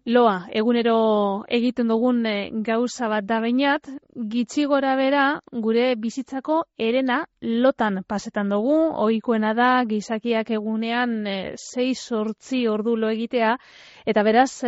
Loa, egunero egiten dugun gauza bat da bainat, gitxi gora bera gure bizitzako herena lotan pasetan dugu, ohikoena da gizakiak egunean 6-8 ordu lo egitea, eta beraz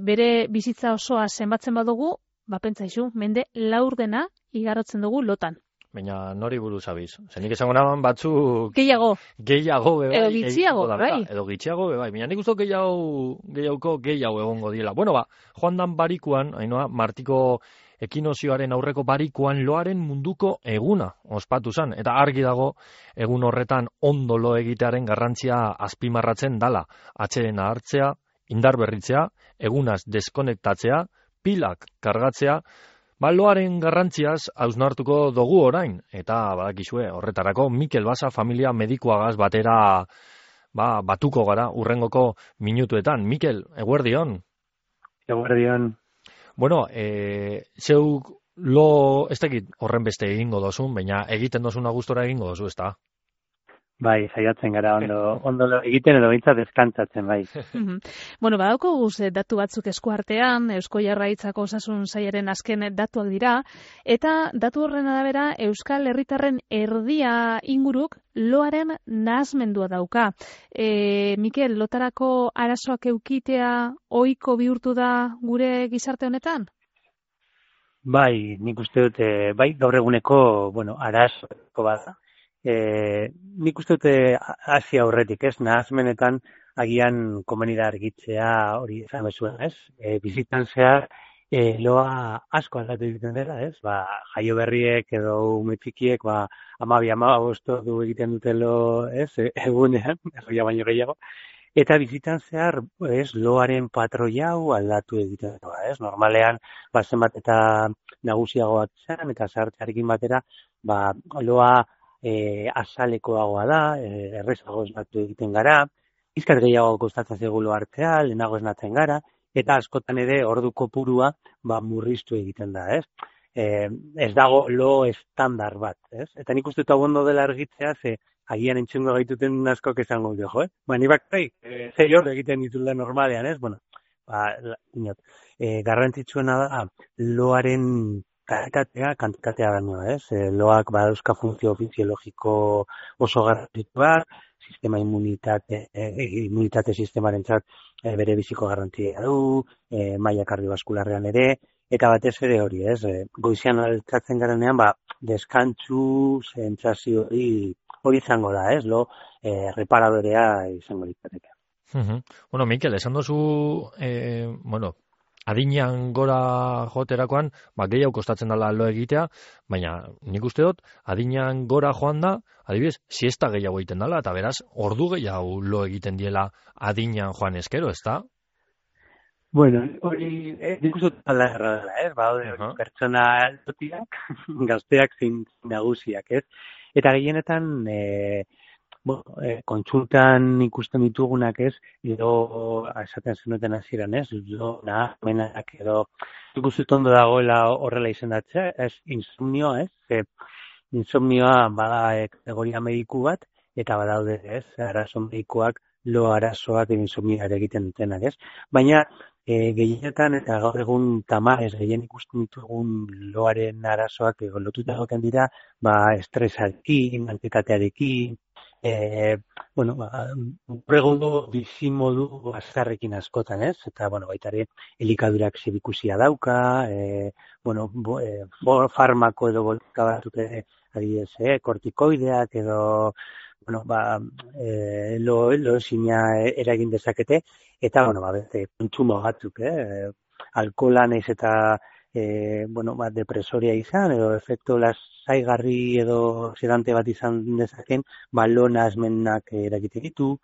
bere bizitza osoa zenbatzen badugu, pentsaizu, mende laurdena igarotzen dugu lotan. Baina nori buruz abiz? Zenik esango naban batzuk... Gehiago, bebai. Edo gitxiago, bai. Edo gitxiago, bebai. Baina nik uste gehiago egongo diela. Bueno, joan dan barikuan, hainoa, Martiko ekinozioaren aurreko barikuan loaren munduko eguna ospatu zen. Eta argi dago, egun horretan ondo lo egitearen garrantzia azpimarratzen dala. Atsedena hartzea, indar berritzea, egunaz deskonektatzea, pilak kargatzea, loaren garrantziaz hausnartuko dugu orain, eta badakizue, horretarako Mikel Basa familia medikuagaz batera batuko gara urrengoko minutuetan. Mikel, eguerdion? Eguerdion. Bueno, zeuk lo, ez dakit horren beste egingo dozun, baina egiten dozuna gustora egingo dozu, ez da? Bai, saiatzen gara ondo egiten edo behintzat deskantzatzen, bai. Bueno, badauko datu batzuk eskuartean, Eusko Jaurlaritzako Osasun Sailaren azken datuak dira, eta datu horren arabera Euskal Herritarren erdia inguruk loaren nahasmendua dauka. Mikel, lotarako arazoak eukitea ohiko bihurtu da gure gizarte honetan? Bai, nik uste dut, bai, gaur eguneko, arazoeko bada. Nik uste dute hasi aurretik, ez? Nahasmenetan agian komenida argitzea hori esan bezuen, ez? Bizitan zehar loa asko aldatu egiten dela, ez? Jaio berriek edo ume txikiek 12-15 ordu egiten dute lo, ez? Egunean, erroia baino gehiago. Eta bizitan zehar, ez, loaren patroi hau aldatu egiten da, ez? Normalean, zenbat eta nagusiagoak zen, eta zahartzearekin batera, loa azalekoagoa da, errezago esnatu egiten gara, izkat gehiago kostatzen zaigu hartzea, lehenago esnatzen gara, eta askotan ere ordu kopurua murriztu egiten da, ez? Ez dago lo estandar bat, ez? Eta nik uste ondo dela argitzea, agian entzungo gaituten askok esango dut, jo, ni bakarrik, zei hor egiten ditula normalean, ez? Bueno, garrantzitsuena da, loaren kantitatea baino, ez? Loak badauzka funtzio fisiologiko oso garrantzitsuak, immunitate sistemarentzat bere biziko garrantzia du, maila kardiobaskularrean ere, eta batez ere hori, ez? Goizean altzatzen garenean, deskantzu sentsazio hori izango da, ez? Lo reparadorea izango litzateke. Bueno, Mikel, esan dozu, adinean gora joterakoan, gehiago kostatzen dela lo egitea, baina nik uste dut, adinean gora joan da, adibidez, siesta gehiago egiten dela, eta beraz, ordu gehiago lo egiten diela adinean joan eskero, ez da? Bueno, hori, nik uste dut ala erradela, ez? Hori pertsona lotiak, gazteak zein nagusiak, ez? Eta gehienetan, kontsultan ikusten ditugunak, ez, edo esaten zenuten hasieran, ez, nahasmenak edo ikusten ondo dagoela horrela izendatzea, ez, insomnioa, ez, insomnioa bada kategoria mediku bat, eta badaude, ez, arazo medikuak, lo arazoak insomnioa egiten dutenak, ez, baina gehienetan eta gaur egun tamarez gehien ikusten ditugun loaren arazoak lotuta egoten dira, estresarekin, antsietatearekin, egungo bizimodu azkarrekin askotan, ez? Eta, baita ere, elikadurak zebikusia dauka, farmako edo bolka batzuk adibidez, kortikoideak edo, loezina eragin dezakete, eta, beste, kontsumo batzuk, alkohola naiz eta depresoria izan, edo efektu lasaigarri edo sedante bat izan dezaken, lo nahasmenak eragiten ditu,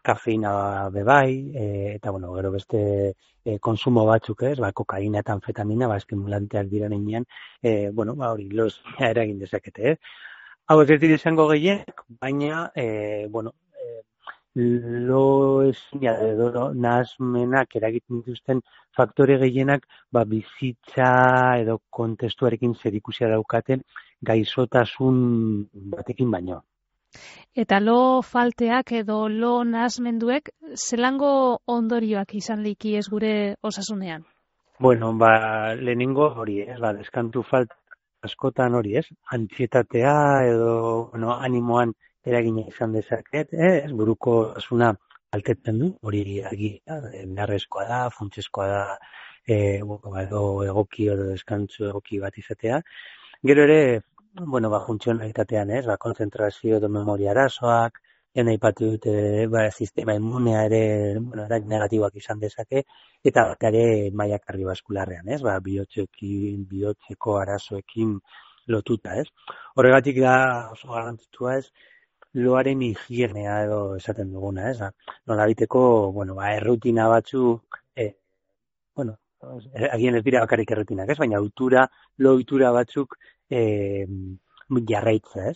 kafeina bebai, eta, gero beste konsumo batzuk, kokaina eta anfetamina, estimulanteak dira nenean, hori, lozina eragin dezakete, Hau ez dira izango gehienak, baina, loezina edo nahasmenak eragiten dituzten faktore gehienak bizitza edo kontestuarekin zerikusia daukaten gaixotasun batekin baino. Eta lo falteak edo lo nahasmenduek zelango ondorioak izan liki ez gure osasunean? Bueno, lehenengo hori, deskantu falta askotan hori, antsietatea edo, animoan eragina izan dezaket, buruko osasuna altetzen du, hori argi, beharrezkoa da, funtsezkoa da, edo egoki edo deskantzu egoki bat izatea. Gero ere, funtzionalitatean, konzentrazio edo memoria arazoak, aipatu dute, sistema immunea ere, negatiboak izan dezake, eta ere maila kardiobaskularrean, bihotzeko arazoekin lotuta, Horregatik da oso garrantzitsua, loaren higienea edo esaten duguna, nolabiteko, errutina batzuk, agian ez dira bakarrik errutinak, baina lo ohitura batzuk jarraitza,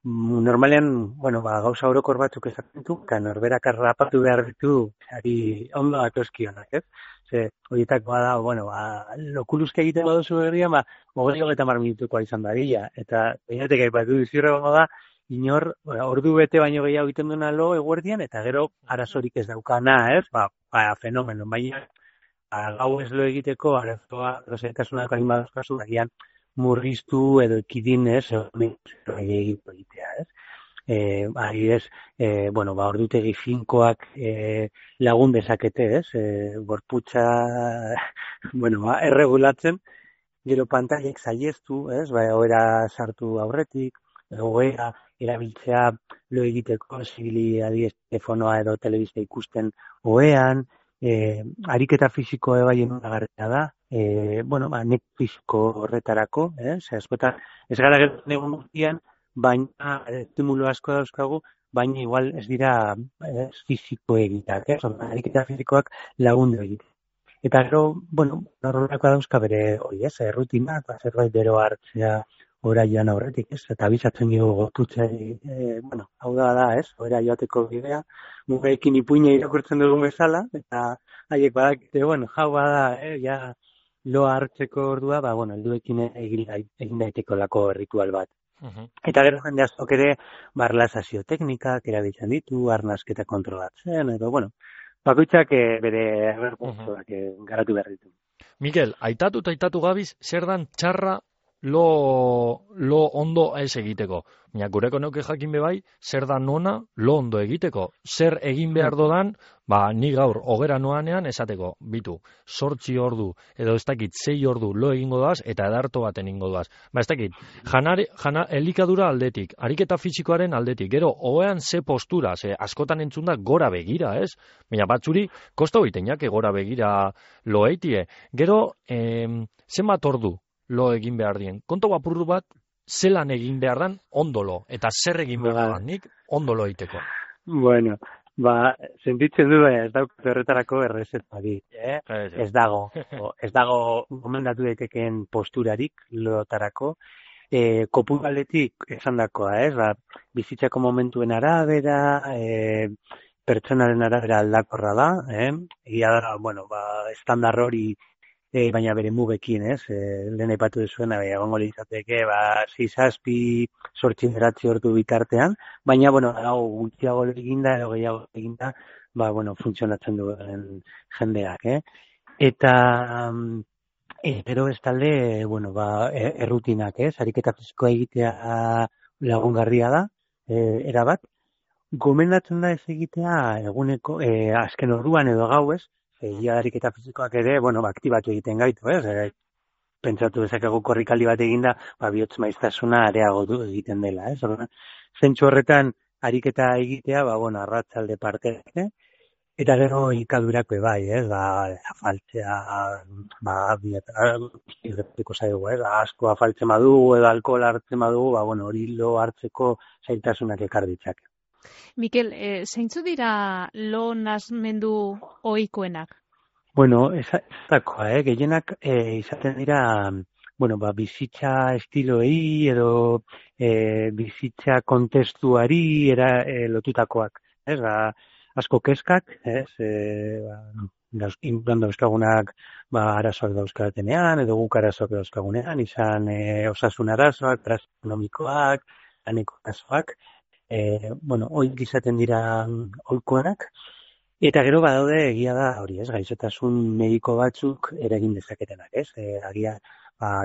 Normalean, gauza orokor batzuk esaten du, norberak harrapatu behar ditu, ari ondo datozkionak, Ze, horietakoa da, lokuluzke egiten baduzu berrian, 20-30 minutukoa izan dadila, eta behinetek aipatu duzirregongo da, inor, ordu bete baino gehiago egiten duena lo eguerdian, eta gero arazorik ez daukana, fenomeno, baina gau ez lo egiteko, arazoa, rozerkasunak hain badazkazu, agian murriztu edo ekidin egitea, adibidez, ordutegi finkoak lagun dezakete, gorputza, erregulatzen, gero pantailek saiestu, ohera sartu aurretik, ohera erabiltzea lo egiteko, zibili adibidez telefonoa edo telebista ikusten ohean, ariketa fisiko bai enunagarria da, nek fisiko horretarako, askotan, ez gara gertzen egun guztian, baina estimulo asko dauzkagu, baina igual ez dira fisiko egitak, ariketa fisikoak lagundu egite. Eta gero, horrelako dauzka bere hori, errutinak, zerbait bero hartzea oraian aurretik, eta abisatzen dugu gorputzari, hau da, ora joateko bidea, mugaekin ipuina irakurtzen dugun bezala, eta haiek badakite, jau bada, ja loa hartzeko ordua, helduekin egin daiteko lako ritual bat. Eta gero jende askok ere, erlazazio teknikak erabiltzen ditu, arnasketa kontrolatzen, edo, bakoitzak bere berpuntuak garatu behar ditu. Mikel, aitatu gabiz, zer dan txarra lo ondo ez egiteko. Baina gureko neuke jakin bebai, zer da nona lo ondo egiteko. Zer egin behar dodan, ni gaur hogera noanean esateko, bitu, 8 ordu, edo ez dakit 6 ordu lo egingo doaz, eta edarto baten ingo doaz. Ez dakit, elikadura aldetik, ariketa fisikoaren aldetik, gero, oean ze postura, ze askotan entzun da gora begira, ez? Baina batzuri, kosta hoitenak gora begira lo eitie. Gero, zenbat ordu lo egin behar dien. Konto apurru bat, zelan egin behar dan ondolo, eta zer egin behar dan nik ondolo egiteko. Sentitzen du, ez daukatu horretarako errezetari, Ez dago gomendatu daitekeen posturarik lotarako, kopuraletik esan dakoa, bizitzako momentuen arabera, pertsonaren arabera aldakorra da, egia da, estandar hori, baina bere mugekin, lehen aipatu duzuena, egongo litzateke, 6-7 ordu bitartean, baina, hau gutxiago eginda, edo gehiago eginda, funtzionatzen duen jendeak, Eta, gero bestalde, errutinak, ariketa fisikoa egitea lagungarria da, erabat, gomendatzen da ez egitea eguneko, azken orduan edo gauez, ariketa fisikoak ere, aktibatu egiten gaitu, pentsatu dezakegu korrikaldi bat eginda, bihotz maiztasuna areagotu egiten dela, Zentzu horretan ariketa egitea, arratsalde parte, eta gero ikadurako bai, afaltzea, irrepetiko zaigu, asko afaltzen badugu, edo alkohol hartzen badugu, hori lo hartzeko zailtasunak ekar ditzake. Mikel, zeintzu dira lo nahasmendu ohikoenak? Ezakoa, gehienak izaten dira, bizitza estiloei edo bizitza kontestuari lotutakoak, asko kezkak, dauzkagunak arazoak dauzkatenean, edo guk arazoak dauzkagunean, izan osasun arazoak, ekonomikoak, laneko arazoak, oik izaten dira ohikoenak, eta gero badaude egia da hori, ez, gaixotasun mediko batzuk eragin dezaketenak, ez, agia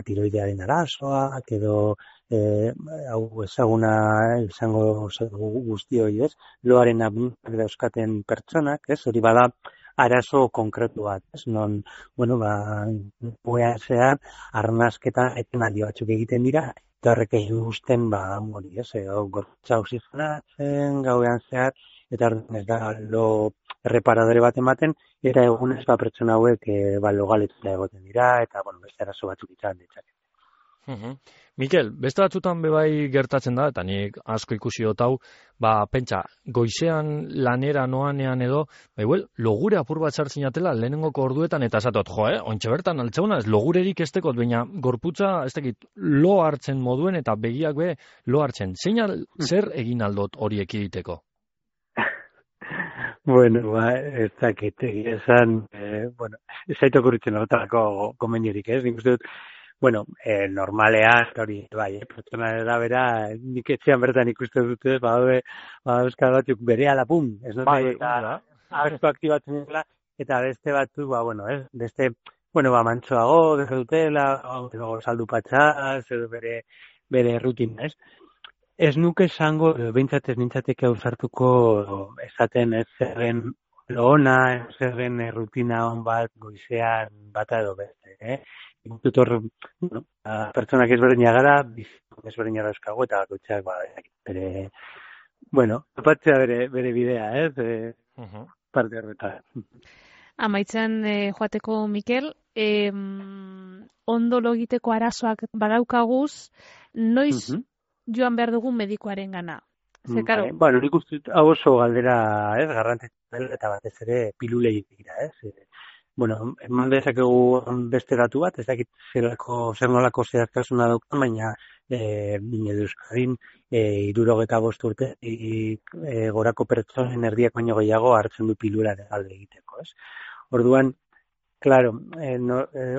tiroidearen arazoak edo hau ezaguna izango guztioi, ez, loaren abuntzak dauzkaten pertsonak, ez, hori bada arazo konkretu bat, ez, non, zehar, arnazketa etenaldi batzuk egiten dira, eta horrek egin guzten, hori, ez, gorputza oxigenatzen, gauean zehar, eta ez da lo erreparadore bat ematen, eta egunez pertsona hauek lo galetuta egoten dira, eta beste arazo batzuk izan ditzake. Mikel, beste batzutan bebai gertatzen da, eta nik asko ikusi dut hau, pentsa, goizean lanera noanean edo, logure apur bat sartzen jatela lehenengoko orduetan, eta esatot, ontxe bertan altzauna, ez logurerik ez tekot, baina gorputza, ez tekit, lo hartzen moduen, eta begiak be lo hartzen. Zer egin aldot hori ekiditeko? Ez dakit, esan, ez zaitu okurritzen horretarako gomendiorik, ez? Nik uste dut, normalean, hori, pertsona da bera, nik etxean bertan ikusten dute, euskal batzuk bere alapun, ez dut, eta asko aktibatzen dela, eta beste batzuk, beste, mantsoago, deja dutela, saldu patxaz, edo bere rutina, ez? Ez nuke esango, behintzat ez nintzateke ausartuko esaten ez zerren lona, zerren rutina hon bat goizean bata edo beste, Tutor, pertsonak ezberdina gara, ezberdina dauzkago, eta bakoitzak bere, topatzea bere bidea, ez? Parte horretan. Amaitzen joateko, Mikel, ondo logiteko arazoak badaukaguz, noiz joan behar dugu medikoaren gana? Nik uste hau oso galdera, ez, garrantzitsua eta batez ere pilulei dira, ez? Eman dezakegu beste datu bat, ez dakit zer nolako zehaztasuna daukan, baina Euskadin 75 urte gorako pertsonen erdiak baino gehiago hartzen du pilula alde egiteko, ez? Orduan, claro,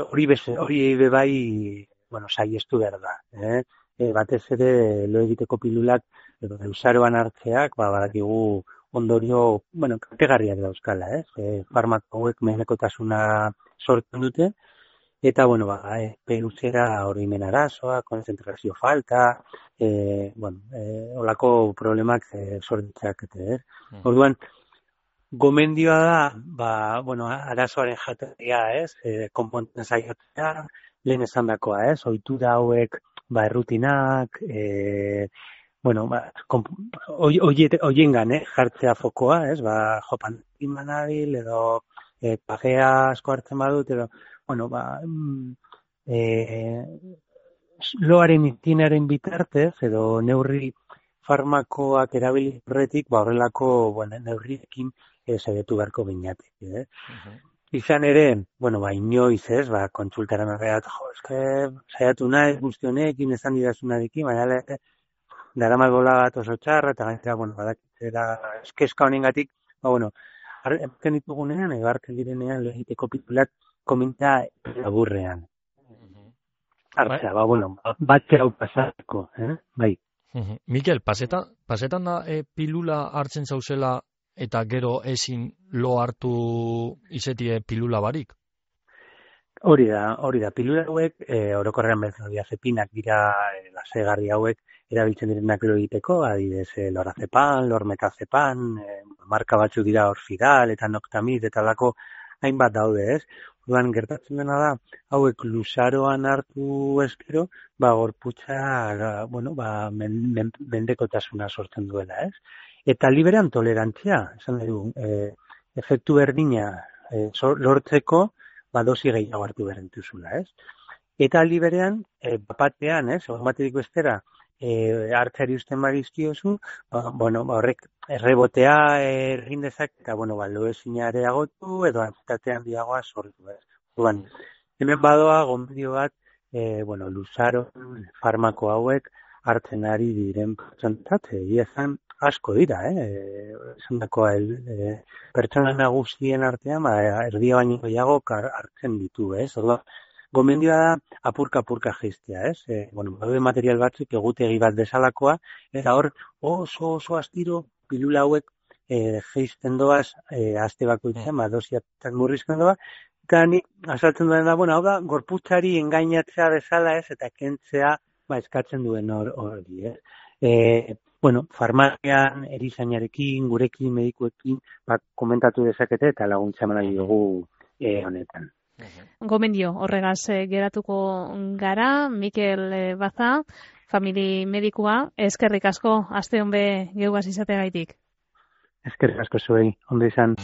hori bebai, saiestu behar da, batez ere lo egiteko pilulak edo eusaroan hartzeak, badakigu ondorio, kaltegarriak dauzkala, ez? Farmako hauek mehenekotasuna sortzen dute, eta, peluzera oroimen arazoa, konzentrazio falta, olako problemak sortitzak, ez? Orduan, gomendioa da, arazoaren jatorria, ez? Konponten saiatzea, lehen esandakoa, ez? Ohitura hauek, errutinak, hoiengan, jartzea fokoa, ez? Jopan imanabil, edo pagea asko hartzen badut, edo, loaren itinaren bitartez, edo neurri farmakoak erabili horretik, horrelako neurriekin saiatu beharko beinatik. Izan ere, inoiz ez, kontsultaran horreat, saiatu nahi guzti honekin, esan didazunarekin, baina daramat bola bat oso txarra, eta gaitera, badakitzera eskeska honengatik, hartzen ditugunean, edo hartzen direnean, lehiteko pilulak komenta laburrean. Hartzea, batzera hau pasatko, bai. Mikel, pasetan da pilula hartzen zauzela eta gero ezin lo hartu izetie pilula barik? Hori da, pilula hauek, orokorrean benzodiazepinak dira lasegarri hauek, erabiltzen direnak lo egiteko, adibidez, lorazepan, lormetazepan, marka batzu dira Orfidal eta Noctamid eta lako hainbat daude, ez? Orduan gertatzen dena da, hauek luzaroan hartu eskero, gorputza, mendekotasuna sortzen duela, ez? Eta liberean tolerantzia, esan dugu, efektu berdina lortzeko, dosi gehiago hartu berentuzula, ez? Eta liberean, batean, ez? Batetik bestera, hartzari usten badizkiozu, horrek errebotea egin dezak, eta, lo ezina areagotu, edo antsietatea handiagoa sortu, ez? Orduan, hemen badoa, gomendio bat, luzaro, farmako hauek, hartzen ari diren pertsonentzat, esan asko dira, esan dakoa, pertsona nagusien artean, erdia baino gehiago hartzen ditu, ez? Orduan, gomendioa da apurka jaistea, ez? Daude material batzuk egutegi bat bezalakoa, eta hor oso astiro pilula hauek jaisten doaz, aste bakoitzean, dosiatak murrizten doa, eta nik azaltzen duen da, hau da, gorputzari engainatzea bezala, ez, eta kentzea, eskatzen duen hori, ez? Farmazian, erizainarekin, gurekin, medikuekin, komentatu dezakete eta laguntza eman nahi dugu honetan. Gomendio, horregaz geratuko gara, Mikel Baza, famili medikua, eskerrik asko, aste honbe geugaz izateagaitik. Eskerrik asko zuei, ondo izan.